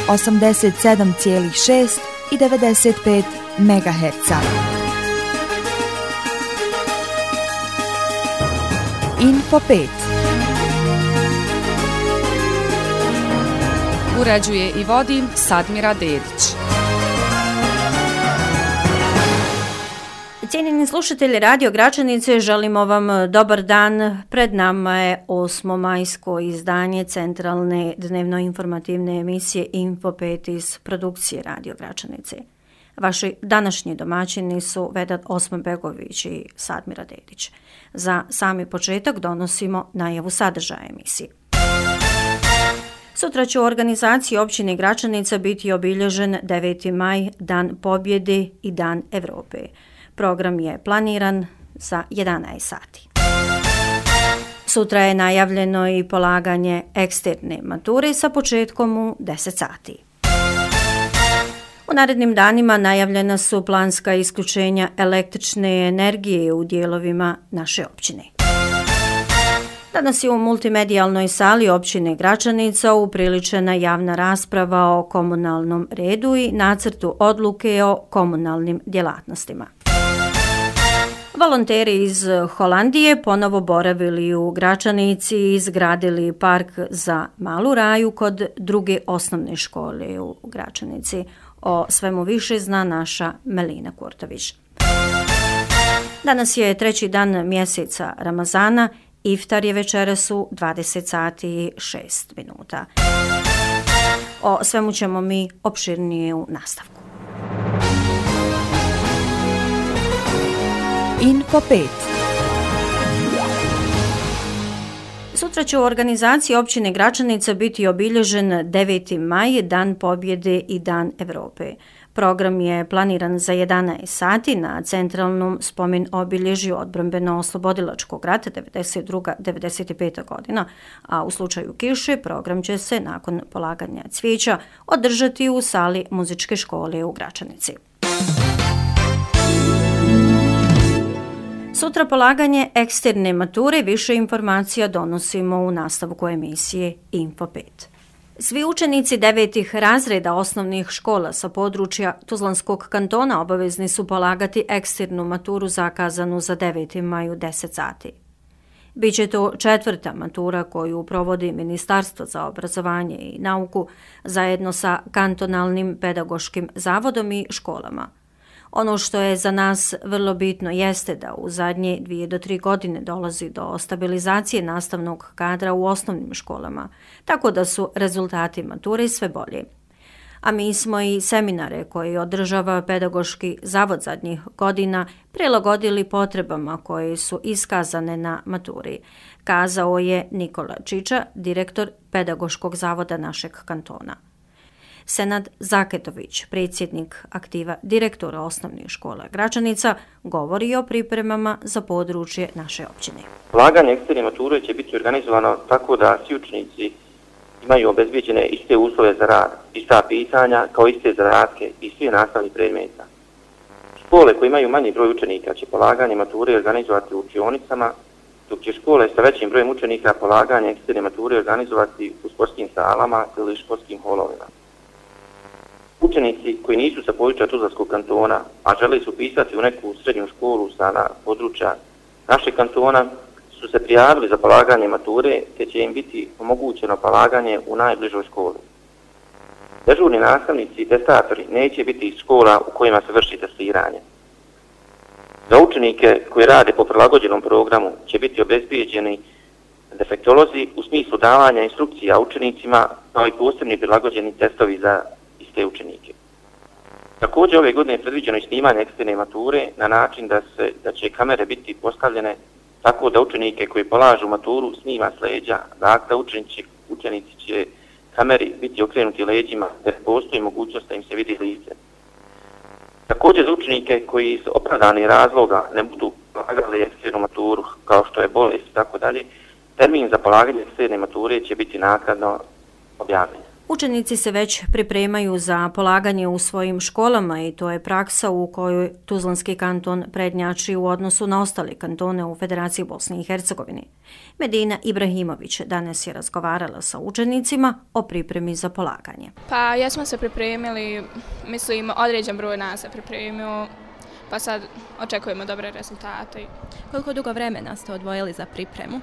87,6 i 95 MHz. Info 5. Uređuje i vodi Sadmira Dedić. Cijenjeni slušatelji Radio Gračanice, želimo vam dobar dan. Pred nama je 8. majsko izdanje centralne dnevno-informativne emisije Info 5 iz produkcije Radio Gračanice. Vaši današnji domaćini su Vedat Osmanbegović i Sadmira Dedić. Za sami početak donosimo najavu sadržaja emisije. Sutra će u organizaciji općine Gračanica biti obilježen 9. maj, Dan pobjede i Dan Evrope. Program je planiran za 11 sati. Sutra je najavljeno i polaganje eksterne mature sa početkom u 10 sati. U narednim danima najavljena su planska isključenja električne energije u dijelovima naše općine. Danas je u multimedijalnoj sali općine Gračanica upriličena javna rasprava o komunalnom redu i nacrtu odluke o komunalnim djelatnostima. Volonteri iz Holandije ponovo boravili u Gračanici i izgradili park za malu raju kod druge osnovne škole u Gračanici. O svemu više zna naša Melina Kurtović. Danas je 3. dan mjeseca Ramazana, iftar je večeras u 20 sati i 6 minuta. O svemu ćemo mi opširnije u nastavku. Info 5. Sutra će u organizaciji općine Gračanica biti obilježen 9. maj, Dan pobjede i Dan Evrope. Program je planiran za 11 sati na centralnom spomen obilježju odbrambeno-oslobodilačkog rata 92-95. godina, a u slučaju kiše program će se nakon polaganja cvijeća održati u sali muzičke škole u Gračanici. Sutra polaganje eksterne mature, više informacija donosimo u nastavku emisije Info 5. Svi učenici 9. razreda osnovnih škola sa područja Tuzlanskog kantona obavezni su polagati eksternu maturu zakazanu za 9. maj u 10 sati. Biće to 4. matura koju provodi Ministarstvo za obrazovanje i nauku zajedno sa kantonalnim pedagoškim zavodom i školama. Ono što je za nas vrlo bitno jeste da u zadnje 2 do 3 godine dolazi do stabilizacije nastavnog kadra u osnovnim školama, tako da su rezultati mature sve bolji. A mi smo i seminare koje održava Pedagoški zavod zadnjih godina prilagodili potrebama koje su iskazane na maturi, kazao je Nikola Čiča, direktor Pedagoškog zavoda našeg kantona. Senad Zaketović, predsjednik aktiva direktora osnovnih škola Gračanica, govori o pripremama za područje naše općine. Polaganje eksterne mature će biti organizovano tako da svi učenici imaju obezbijeđene iste uslove za rad, ista pitanja kao iste zadatke i svi nastavni predmeta. Škole koje imaju manji broj učenika će polaganje mature organizovati u učionicama, dok će škole sa većim brojem učenika polaganje eksterne mature organizovati u sportskim salama ili školskim holovima. Učenici koji nisu sa područja Tuzlanskog kantona, a žele se upisati u neku srednju školu sa područja našeg kantona, su se prijavili za polaganje mature, te će im biti omogućeno polaganje u najbližoj školi. Dežurni nastavnici i testatori neće biti iz škola u kojima se vrši testiranje. Za učenike koji rade po prilagođenom programu će biti obezbijeđeni defektolozi u smislu davanja instrukcija učenicima, kao i posebni prilagođeni testovi za iste učenike. Također ove godine je predviđeno i snimanje eksterne mature na način da će kamere biti postavljene tako da učenike koji polažu maturu snima s leđa, dakle učenici će kameri biti okrenuti leđima, jer postoji mogućnost da im se vidi lice. Također za učenike koji iz opravdanih razloga ne budu polagali eksternu maturu, kao što je bolest i tako dalje, termin za polaganje eksterne mature će biti naknadno objavljen. Učenici se već pripremaju za polaganje u svojim školama i to je praksa u kojoj Tuzlanski kanton prednjači u odnosu na ostale kantone u Federaciji Bosne i Hercegovine. Medina Ibrahimović danas je razgovarala sa učenicima o pripremi za polaganje. Pa jesmo se pripremili, mislim određen broj nas se pripremio, pa sad očekujemo dobre rezultate. Koliko dugo vremena ste odvojili za pripremu?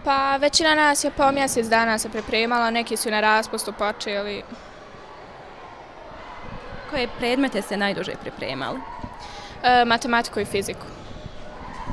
Pa većina nas je po mjesec dana se pripremala, neki su na raspustu počeli. Koje predmete ste najduže pripremali? Matematiku i fiziku.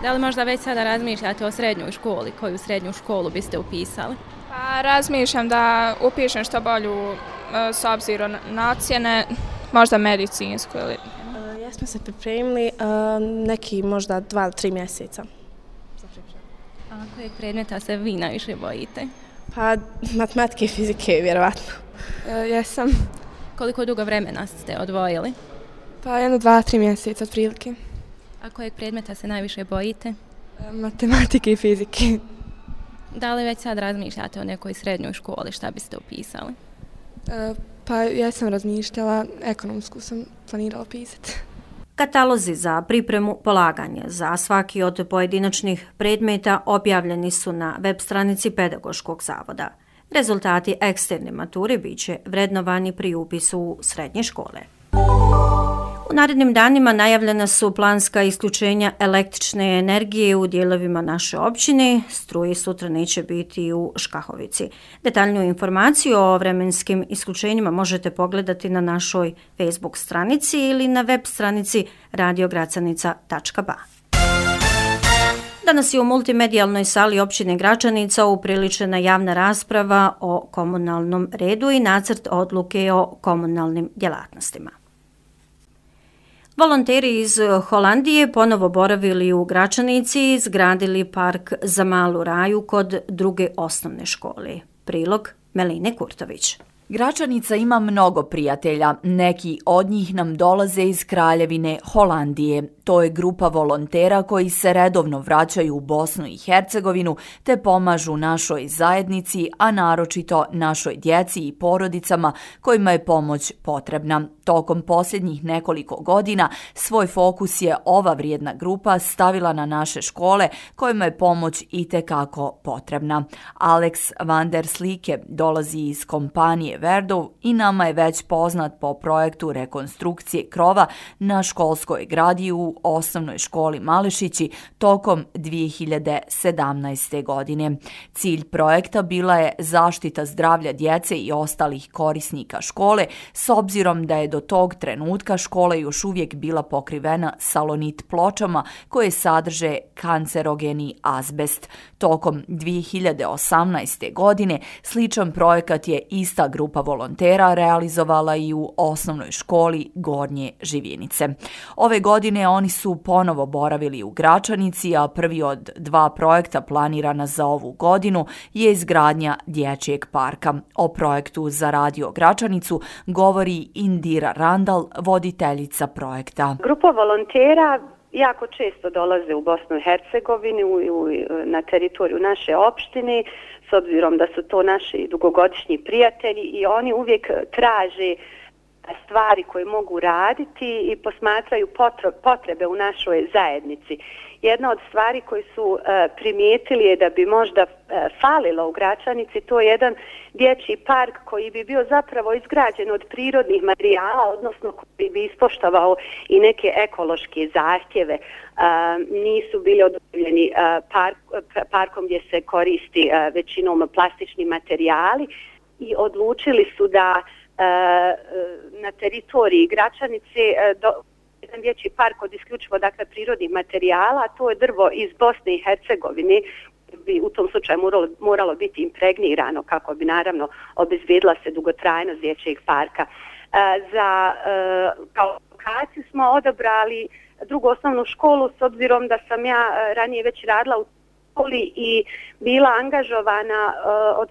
Da li možda već sada razmišljate o srednjoj školi? Koju srednju školu biste upisali? Pa razmišljam da upišem što bolju s obzirom na ocjene, možda medicinsku ili... Jesmo se pripremili neki možda 2-3 mjeseca. A kojeg predmeta se vi najviše bojite? Pa matematike i fizike, vjerovatno. Jesam. Koliko dugo vremena ste odvojili? Pa 1-2-3 mjeseca otprilike. A kojeg predmeta se najviše bojite? Matematike i fizike. Da li već sad razmišljate o nekoj srednjoj školi, šta biste upisali? Pa ja sam razmišljala, ekonomsku sam planirala pisati. Katalozi za pripremu polaganja za svaki od pojedinačnih predmeta objavljeni su na web stranici Pedagoškog zavoda. Rezultati eksterne mature biće vrednovani pri upisu u srednje škole. U narednim danima najavljena su planska isključenja električne energije u dijelovima naše općine. Struje sutra neće biti u Škahovici. Detaljniju informaciju o vremenskim isključenjima možete pogledati na našoj Facebook stranici ili na web stranici radiogracanica.ba. Danas je u multimedijalnoj sali općine Gračanica upriličena javna rasprava o komunalnom redu i nacrt odluke o komunalnim djelatnostima. Volonteri iz Holandije ponovo boravili u Gračanici i izgradili park za malu raju kod druge osnovne škole. Prilog Meline Kurtović. Gračanica ima mnogo prijatelja, neki od njih nam dolaze iz Kraljevine Holandije. To je grupa volontera koji se redovno vraćaju u Bosnu i Hercegovinu te pomažu našoj zajednici, a naročito našoj djeci i porodicama kojima je pomoć potrebna. Tokom posljednjih nekoliko godina svoj fokus je ova vrijedna grupa stavila na naše škole kojima je pomoć itekako potrebna. Alex van der Slike dolazi iz kompanije Verdov i nama je već poznat po projektu rekonstrukcije krova na školskoj gradi u osnovnoj školi Malešići tokom 2017. godine. Cilj projekta bila je zaštita zdravlja djece i ostalih korisnika škole, s obzirom da je do tog trenutka škola još uvijek bila pokrivena salonit pločama koje sadrže kancerogeni azbest. Tokom 2018. godine sličan projekat je ista grupa volontera realizovala i u osnovnoj školi Gornje Živjenice. Ove godine oni su ponovo boravili u Gračanici, a prvi od 2 projekta planirana za ovu godinu je izgradnja dječjeg parka. O projektu za Radio Gračanicu govori Indira Randal, voditeljica projekta. Grupa volontera jako često dolaze u Bosnu i Hercegovinu na teritoriju naše opštine, s obzirom da su to naši dugogodišnji prijatelji i oni uvijek traže stvari koje mogu raditi i posmatraju potrebe u našoj zajednici. Jedna od stvari koje su primijetili je da bi možda falilo u Gračanici, to je jedan dječji park koji bi bio zapravo izgrađen od prirodnih materijala, odnosno koji bi ispoštovao i neke ekološke zahtjeve. Nisu bili odobreni parkom gdje se koristi većinom plastični materijali i odlučili su da na teritoriji Gračanice jedan dječji park od isključivo prirodnih materijala, to je drvo iz Bosne i Hercegovine, bi u tom slučaju moralo biti impregnirano kako bi naravno obezbijedila se dugotrajnost dječjeg parka. Kao lokaciju smo odabrali drugu osnovnu školu, s obzirom da sam ja ranije već radila u školi i bila angažovana od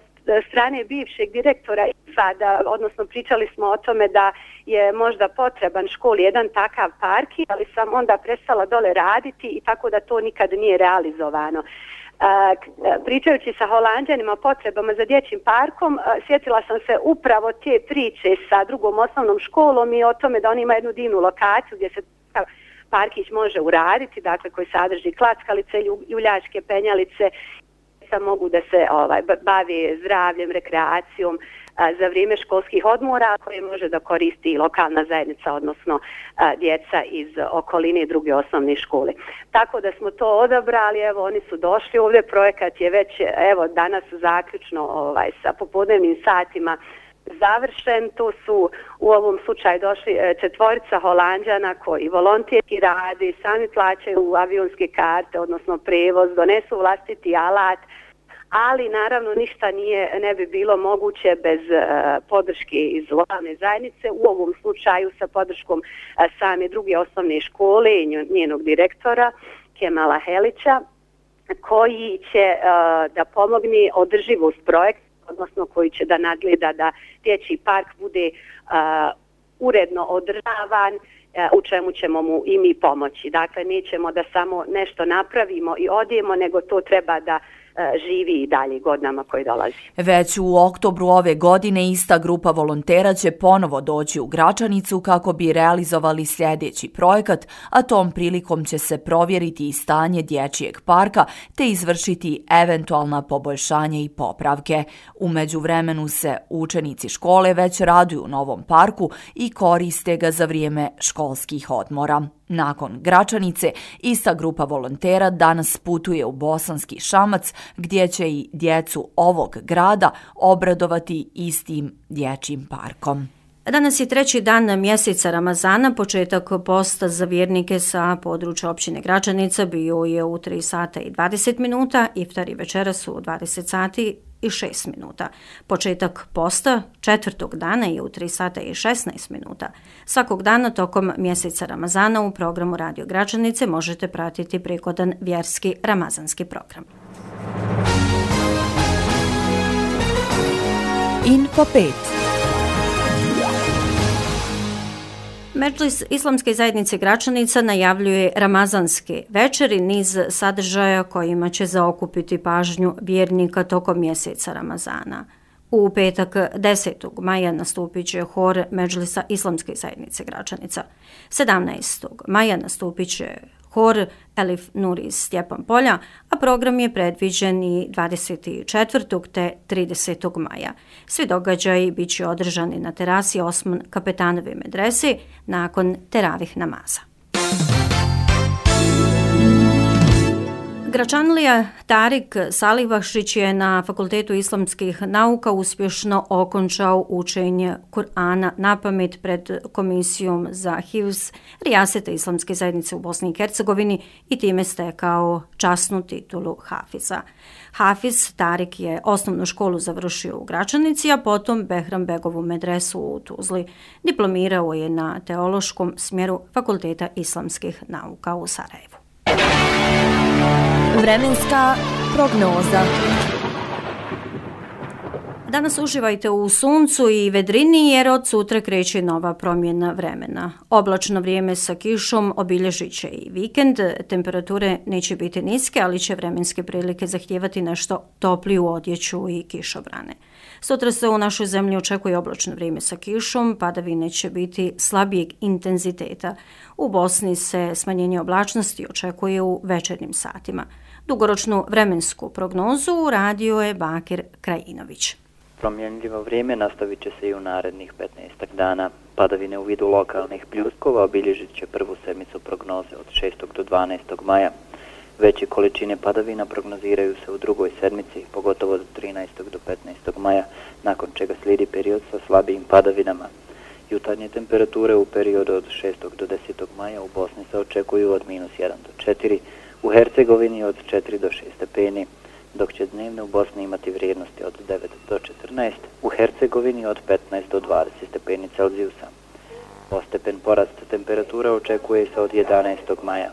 strane bivšeg direktora IFA, odnosno pričali smo o tome da je možda potreban školi jedan takav park, ali sam onda prestala dole raditi i tako da to nikad nije realizovano. Pričajući sa Holanđanima o potrebama za dječjim parkom, sjetila sam se upravo te priče sa drugom osnovnom školom i o tome da oni imaju jednu divnu lokaciju gdje se parkić može uraditi, dakle koji sadrži klackalice, ljuljačke penjalice, mogu da se bave zdravljem, rekreacijom za vrijeme školskih odmora koje može da koristi lokalna zajednica, odnosno djeca iz okoline druge osnovne škole. Tako da smo to odabrali, evo oni su došli ovdje, projekat je već evo danas zaključno sa popodnevnim satima završen. Tu su u ovom slučaju došli 4 Holanđana koji volonterski rade, sami plaćaju avionske karte, odnosno prevoz, donesu vlastiti alat, ali naravno ništa ne bi bilo moguće bez podrške iz lokalne zajednice, u ovom slučaju sa podrškom same druge osnovne škole i njenog direktora Kemala Helića, koji će da pomogne održivost projekta, odnosno koji će da nadgleda da dječji park bude uredno održavan, u čemu ćemo mu i mi pomoći. Dakle, nećemo da samo nešto napravimo i odijemo, nego to treba da živi i dalje godinama koji dolazi. Već u oktobru ove godine ista grupa volontera će ponovo doći u Gračanicu kako bi realizovali sljedeći projekat, a tom prilikom će se provjeriti i stanje dječjeg parka te izvršiti eventualna poboljšanja i popravke. U međuvremenu se učenici škole već raduju novom parku i koriste ga za vrijeme školskih odmora. Nakon Gračanice, ista grupa volontera danas putuje u Bosanski Šamac, gdje će i djecu ovog grada obradovati istim dječjim parkom. Danas je 3. dan mjeseca Ramazana, početak posta za vjernike sa područja općine Gračanica bio je u 3 sata i 20 minuta, iftar i večeras u 20 sati i 6 minuta. Početak posta 4. dana je u 3 sata i 16 minuta. Svakog dana tokom mjeseca Ramazana u programu Radio Gračanice možete pratiti prigodan vjerski ramazanski program. Info 5. Medžlis Islamske zajednice Gračanica najavljuje ramazanske večeri, niz sadržaja kojima će zaokupiti pažnju vjernika tokom mjeseca Ramazana. U petak 10. maja nastupit će hor Medžlisa Islamske zajednice Gračanica. 17. maja nastupit će hor Elif Nur iz Stjepan Polja, a program je predviđen i 24. te 30. maja. Svi događaji bit će održani na terasi Osman Kapetanove medrese nakon teravih namaza. Gračanlija Tarik Salihbahšić je na Fakultetu islamskih nauka uspješno okončao učenje Kur'ana napamet pred Komisijom za Hifz Rijaseta Islamske zajednice u Bosni i Hercegovini i time stekao časnu titulu Hafiza. Hafiz Tarik je osnovnu školu završio u Gračanici, a potom Behram Begovu medresu u Tuzli. Diplomirao je na teološkom smjeru Fakulteta islamskih nauka u Sarajevu. Vremenska prognoza. Danas uživajte u suncu i vedrini jer od sutra kreće nova promjena vremena. Oblačno vrijeme sa kišom obilježit će i vikend. Temperature neće biti niske, ali će vremenske prilike zahtijevati nešto topliju odjeću i kišobrane. Sutra se u našoj zemlji očekuje oblačno vrijeme sa kišom, padavine će biti slabijeg intenziteta. U Bosni se smanjenje oblačnosti očekuje u večernjim satima. Dugoročnu vremensku prognozu radio je Bakir Krajinović. Promjenljivo vrijeme nastavit će se i u narednih 15 dana. Padavine u vidu lokalnih pljuskova obilježit će prvu sedmicu prognoze od 6. do 12. maja. Veće količine padavina prognoziraju se u drugoj sedmici, pogotovo od 13. do 15. maja, nakon čega slijedi period sa slabijim padavinama. Jutarnje temperature u periodu od 6. do 10. maja u Bosni se očekuju od -1 do 4, u Hercegovini od 4 do 6 stepeni, dok će dnevne u Bosni imati vrijednosti od 9 do 14, u Hercegovini od 15 do 20 stepeni Celzijusa. Postepen porast temperatura očekuje se od 11. maja.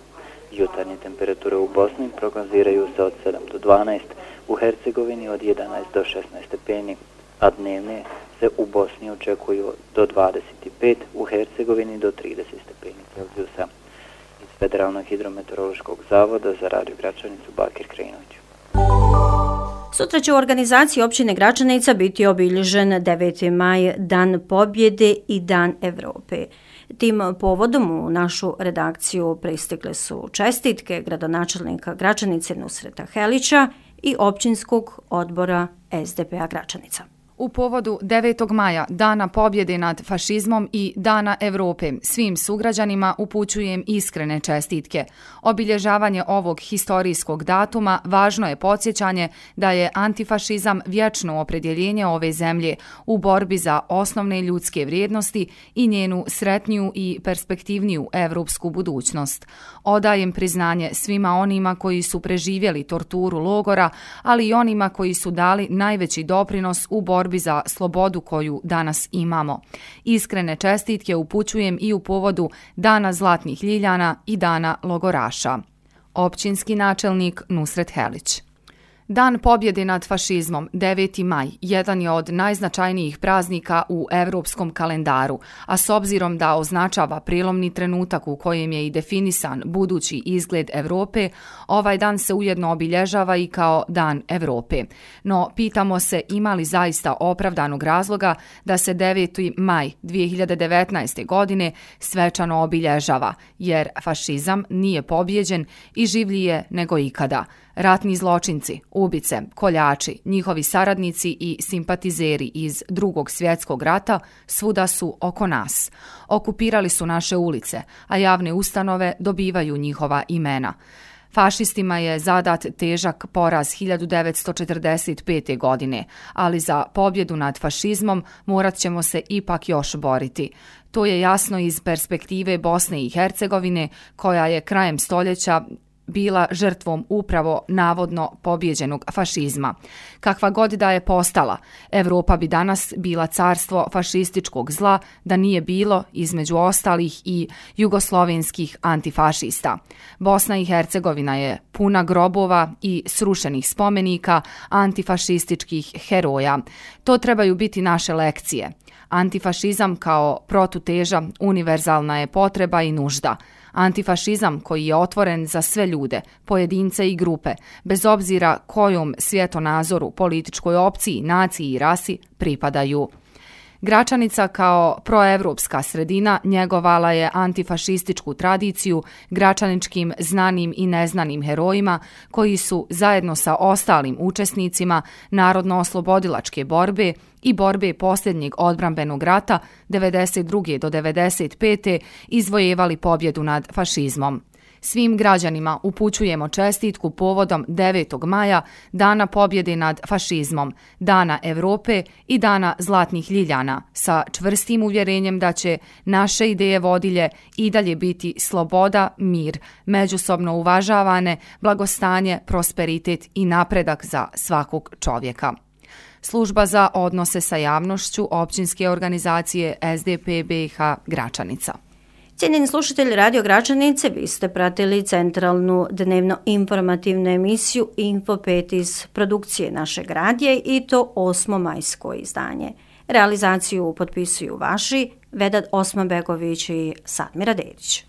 Jutarnje temperature u Bosni prognoziraju se od 7 do 12, u Hercegovini od 11 do 16 stepeni, a dnevne se u Bosni očekuju do 25, u Hercegovini do 30 stepeni Celzijusa. Iz Federalnog hidrometeorološkog zavoda za Radio Gračanicu Bakir Krajinović. Sutra će u organizaciji općine Gračanica biti obilježen 9. maj, Dan pobjede i Dan Evrope. Tim povodom u našu redakciju pristigle su čestitke gradonačelnika Gračanice Nusreta Helića i općinskog odbora SDP-a Gračanica. U povodu 9. maja, Dana pobjede nad fašizmom i Dana Evrope, svim sugrađanima upućujem iskrene čestitke. Obilježavanje ovog historijskog datuma važno je podsjećanje da je antifašizam vječno opredjeljenje ove zemlje u borbi za osnovne ljudske vrijednosti i njenu sretniju i perspektivniju evropsku budućnost. Odajem priznanje svima onima koji su preživjeli torturu logora, ali i onima koji su dali najveći doprinos u borbi za slobodu koju danas imamo. Iskrene čestitke upućujem i u povodu Dana zlatnih ljiljana i Dana logoraša. Općinski načelnik Nusret Helić. Dan pobjede nad fašizmom, 9. maj, jedan je od najznačajnijih praznika u evropskom kalendaru, a s obzirom da označava prijelomni trenutak u kojem je i definisan budući izgled Evrope, ovaj dan se ujedno obilježava i kao Dan Evrope. No, pitamo se ima li zaista opravdanog razloga da se 9. maj 2019. godine svečano obilježava, jer fašizam nije pobjeđen i življi je nego ikada. Ratni zločinci, ubice, koljači, njihovi saradnici i simpatizeri iz Drugog svjetskog rata svuda su oko nas. Okupirali su naše ulice, a javne ustanove dobivaju njihova imena. Fašistima je zadat težak poraz 1945. godine, ali za pobjedu nad fašizmom morat ćemo se ipak još boriti. To je jasno iz perspektive Bosne i Hercegovine, koja je krajem stoljeća bila žrtvom upravo navodno pobjeđenog fašizma. Kakva god da je postala, Evropa bi danas bila carstvo fašističkog zla da nije bilo, između ostalih, i jugoslovenskih antifašista. Bosna i Hercegovina je puna grobova i srušenih spomenika antifašističkih heroja. To trebaju biti naše lekcije. Antifašizam kao protuteža univerzalna je potreba i nužda. Antifašizam koji je otvoren za sve ljude, pojedince i grupe, bez obzira kojom svjetonazoru, političkoj opciji, naciji i rasi pripadaju. Gračanica kao proevropska sredina njegovala je antifašističku tradiciju gračaničkim znanim i neznanim herojima koji su zajedno sa ostalim učesnicima narodno-oslobodilačke borbe i borbe posljednjeg odbrambenog rata 92. do 95. izvojevali pobjedu nad fašizmom. Svim građanima upućujemo čestitku povodom 9. maja, Dana pobjede nad fašizmom, Dana Evrope i Dana zlatnih ljiljana, sa čvrstim uvjerenjem da će naše ideje vodilje i dalje biti sloboda, mir, međusobno uvažavane, blagostanje, prosperitet i napredak za svakog čovjeka. Služba za odnose sa javnošću općinske organizacije SDP BiH Gračanica. Cijenjeni slušatelji Radio Gračanice, vi ste pratili centralnu dnevno-informativnu emisiju Info 5 iz produkcije našeg radija i to 8. majsko izdanje. Realizaciju potpisuju vaši Vedat Osmanbegović i Sadmira Dedić.